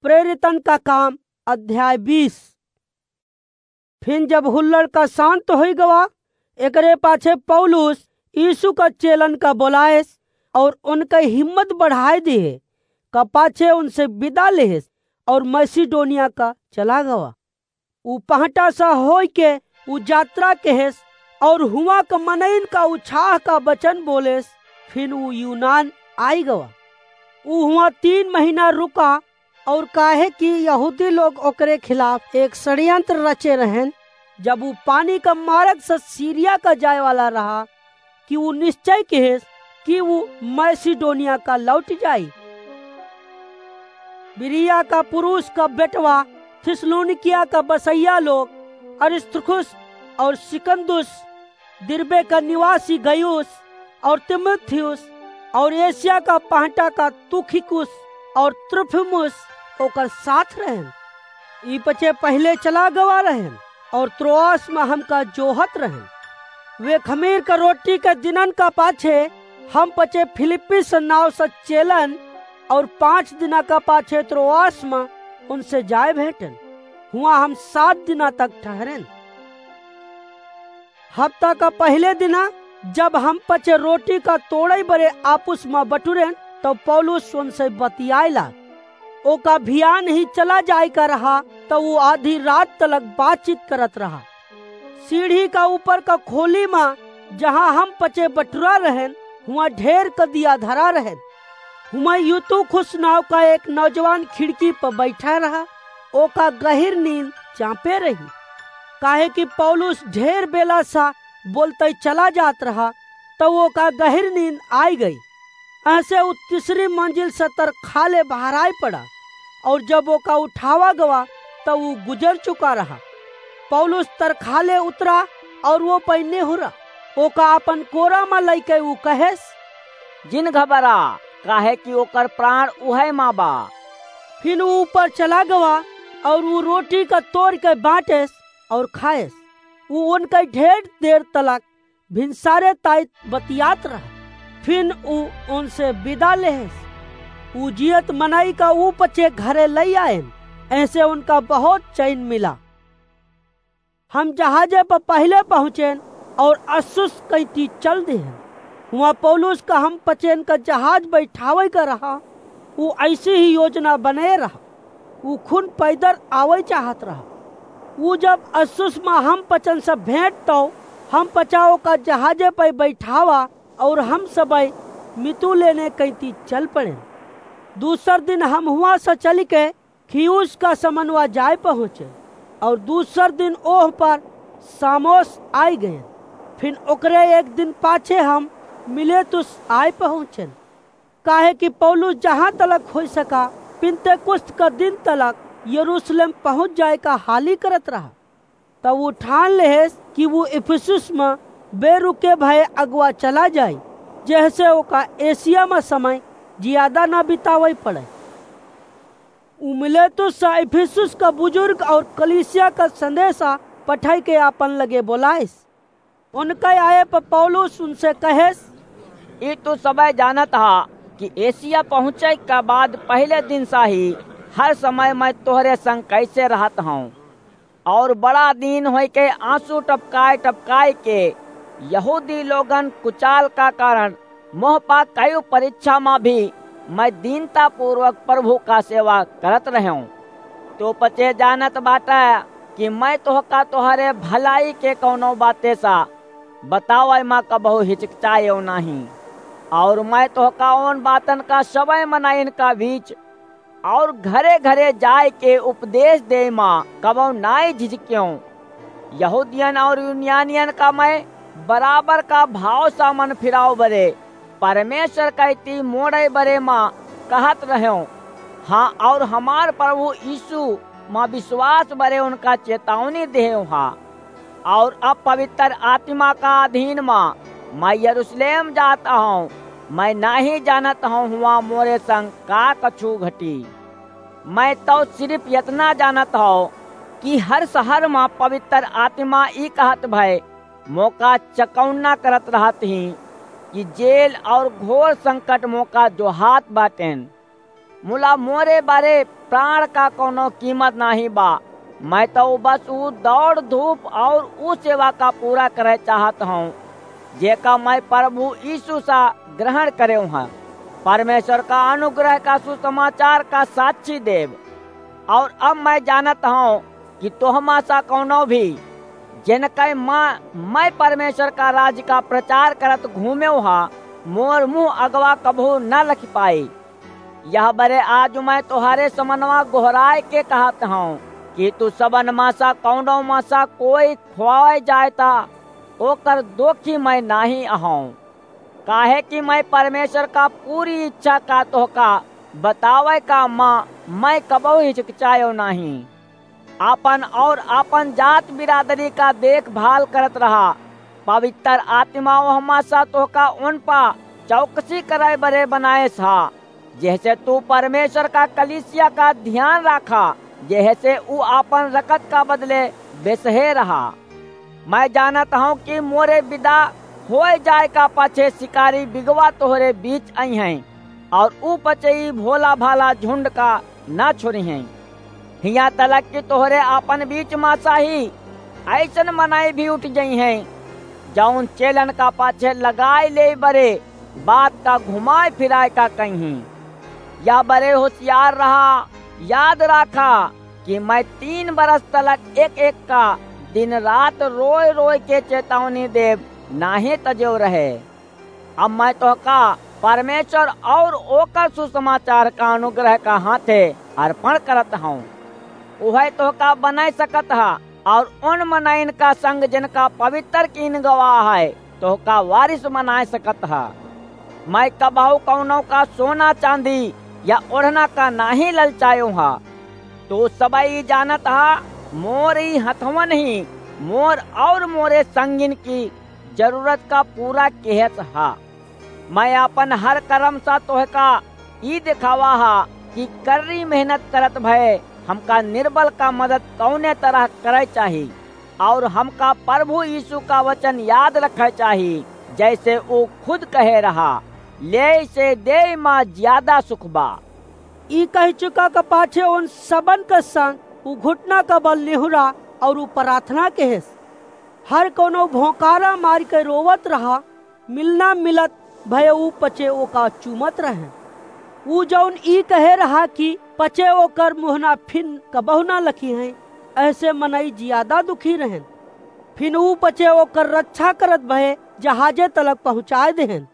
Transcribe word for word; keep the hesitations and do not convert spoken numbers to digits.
प्रेरितन का काम, अध्याय बीस। फिन जब हुल्लड़ का शांत होई गवा, एकरे पाछे पौलुस यीशु का चेलन का बोलाएस और उनका हिम्मत बढ़ाए दिहे का पाछे उनसे विदा लेहेस और मैसिडोनिया का चला गवा। उ पहटा सा होई के उ यात्रा केहेस और हुआ का मनइन का उछाह का वचन बोलेस। फिन उ यूनान आई गवा। उ हुआ तीन महीना रुका और काहे कि यहूदी लोग ओकरे खिलाफ एक षड्यंत्र रचे रहन, जब उ पानी का मार्ग से सीरिया का जाए वाला रहा, कि उ निश्चय केहेस कि उ मैसिडोनिया का लौट जाई। बिरिया का पुरुष का बेटवा थिस्सलुनीकिया का बसैया लोग अरिस्तर्खुस और सिकुन्दुस, दिरबे का निवासी गयुस और तीमुथियुस और एशिया का पहटा का तुखिकुस और त्रुफिमुस ओकर साथ रहन। ई पचे पहिले चला गवा रहन और त्रोआस में हमका जोहत रहन। वे खमीर का रोटी के दिनन का पाछे हम पचे फिलिप्पी से नाव से चेलन और पाँच दिना का पाछे त्रोआस में उनसे जाए भेंटन। हुआ हम सात दिना तक ठहरेन। हफ्ता का पहिले दिना जब हम पचे रोटी का तोड़े बरे आपुस में बटुरेन, तो पौलुस उनसे बतियाए लाग। ओका भियान ही चला जाए का रहा, तो वो आधी रात तलक बातचीत करत रहा। सीढ़ी का ऊपर का खोली में, जहाँ हम पचे बटुरा रहन, हुआ ढेर क दिया धरा रहन। हुआ यूतुखुस नाव का एक नौजवान खिड़की पर बैठा रहा। ओका गहिर नींद चापे रही, काहे कि पौलुस ढेर बेला सा बोलते चला जात रहा, तो ओका गहिर नींद आई गई। ऐसे उ तीसरी मंजिल से तरखाले बहराए पड़ा, और जब ओका उठावा गवा, तो उ गुजर चुका रहा। पौलुस तरखाले उतरा और वो पैने हुरा, ओका अपन कोरा में लइके उ कहेस, "जिन घबरा, काहे कि ओकर प्राण उहे मा बा।" फिन उ ऊपर चला गवा और उ रोटी का तोड़ के बांटेस और खाएस। उ उनके ढेर देर तलक भिनसारे ताई बतियात रहा। फिन उ उनसे विदा लेहेस। उ जियत मनई का उ पचे घरे लई आएन, ऐसे उनका बहुत चैन मिला। हम जहाजे पर पहिले पहुँचेन और अस्सुस कैती चल देहेन। हुआ पौलुस का हम पचेन का जहाज बैठावे का रहा, उ ऐसी ही योजना बने रहा। उ खुन पैदल आवे चाहत रहा। उ जब अस्सुस में हम पचन से भेंट, तो हम पचाओ का जहाजे पर बैठावा और हम सबई मितुलेने कैती चल पड़ेन। दूसर दिन हम हुआ से चल के खियुस का समनवा जाए पहुँचे और दूसर दिन ओह पर सामोस आए गए। फिर ओकरे एक दिन पाछे हम मिलेतुस आए पहुँचेन, काहे कि पौलुस जहाँ तलक हो सका, पिन्तेकुस्त का दिन तलक यरूशलेम पहुँच जाए का हाली करत रहा। तब उ ठान लेहेस कि वो इफिसुस में बेरुके भये अगवा चला जाए, जेहसे ओका एशिया में समय जियादा ना बितावे पड़े। उ मिलेतुस से इफिसुस का बुजुर्ग और कलीसिया का संदेशा पठाई के आपन लगे बोलाइस। उनके आए पर पौलुस उनसे कहेस, "ई तू सबे जानत हा कि एशिया पहुँचे के बाद पहले दिन सा ही हर समय मैं तोहरे संग कैसे रहत हूँ, और बड़ा दिन होई के आंसू टपकाए टपकाए के यहूदी लोगन कुचाल का कारण मोह पा कई परीक्षा मा भी मैं दीनता पूर्वक प्रभु का सेवा करत रहें। तो पचे जानत बाटा कि मैं तोहका तोहरे भलाई के कौनो बाते सा बतावे मा कबहु हिचकिचाएव नाही। और मैं तोहका उन बातन का सबे मनाइन का बीच और घरे घरे जाए के उपदेश दे मा कबहु नाई झिझक्यों। यहूदियन और यूनानियन का मैं बराबर का भाव सा मन फिराव बरे परमेश्वर कैती मोड़े बरे मा कहत रहें। हाँ, और हमार प्रभु यीशु मा विश्वास बरे उनका चेतावनी देव हा। और अब पवित्र आत्मा का अधीन मा मैं यरूशलेम जात हूँ। मैं नाही जानत हूँ हुआ मोरे संग का कछु घटी। मैं तो सिर्फ इतना जानत हूँ कि हर शहर मा पवित्र आत्मा ई कहत भय मोका चकौना करत रहत ही कि जेल और घोर संकट मोका जोहात बाटेन। मुला मोरे बरे प्राण का कउनो कीमत नाहीं बा। मैं तउ बस ऊ दौड़ धूप और ऊ सेवा का पूरा करे चाहत हौं, जेका मैं प्रभु यीशु सा ग्रहण करेव हँ, परमेश्वर का अनुग्रह का सुसमाचार का साक्षी देब। और अब मैं जानत हौं कि तोहमा सा कउनो भी, जिनके मा-, मैं परमेश्वर का राज का प्रचार करत घूमेव हा, मोर मुँह अगवा कबहू न लखि पाई। यह बरे आज मैं तोहरे समनवा गोहराय के कहत हौं कि तू सबन मा सा कउनो मा सा कोई खोवाय जाय ता ओकर दोखी मैं नाहीं अहौं। काहे कि मैं परमेश्वर का पूरी इच्छा का तोहका बतावै का मा मैं कबहू हिचकिचायो नाहीं। आपन और आपन जात बिरादरी का देखभाल करत रहा। पवित्र आत्मा ओहमा सा तोहका उन पा चौकसी करै बरे बनायस हा, जेहसे तू परमेश्वर का कलीसिया का ध्यान राखा, जेहसे ऊ आपन रकत का बदले बेसहे रहा। मैं जानत हौं कि मोरे बिदा होय जाय का पाछे शिकारी बिगवा तोहरे बीच अइहैं, और ऊ पचे ई भोला भाला झुंड का न छोड़िहैं। हियाँ तलक कि तोहरे आपन बीच मा सा ही अइसन मनई भी उठ जइहैं, जउन चेलन का पाछे लगाय लेय बरे बात का घुमाय फिराय का कइहीं। या बरे होसियार रहा, याद राखा कि मैं तीन बरस तलक एक एक का दिन रात रोय रोय के चेतौनी देब नाहीं तजेव रहे। अब मैं तोहका परमेश्वर और ओकर सुसमाचार का अनुग्रह का हाथे अर्पण करत हौं। उहै तोहका बनाय सकत हा और उन मनइन का संग जिनका पवित्र कीन गवा है, तोहका वारिस बनाय सकत हा। मैं कबहू कउनो का सोना चांदी या ओढ़ना का नाहीं ललचायो हा। तू सबई जानत हा, मोर ई हथवन ही मोर और मोरे संगिन की जरूरत का पूरा केहत हा। मैं आपन हर करम सा तोहका ई देखावा हा कि कर्री मेहनत करत भए हमका निर्बल का मदद कउने तरह करै चाही, और हमका प्रभु यीशु का वचन याद रखै चाही, जैसे ऊ खुद कहे रहा, "लेय से देय मा ज्यादा सुख बा।" ई कहि चुका का पाछे उन सबन के संग ऊ घुटना का बल निहुरा और ऊ प्रार्थना केहेस, "हर कउनो भोंकारा मारि के रोवत रहा, मिलना मिलत भए ऊ पचे ओका चूमत रहें।" ऊ जउन ई कहे रहा कि पचे ओकर मुहना फिन कबहू ना लखिहैं, अहसे मनई जियादा दुखी रहेन। फिन ऊ पचे ओकर रच्छा करत भए जहाजे तलक पहुँचाय देहेन।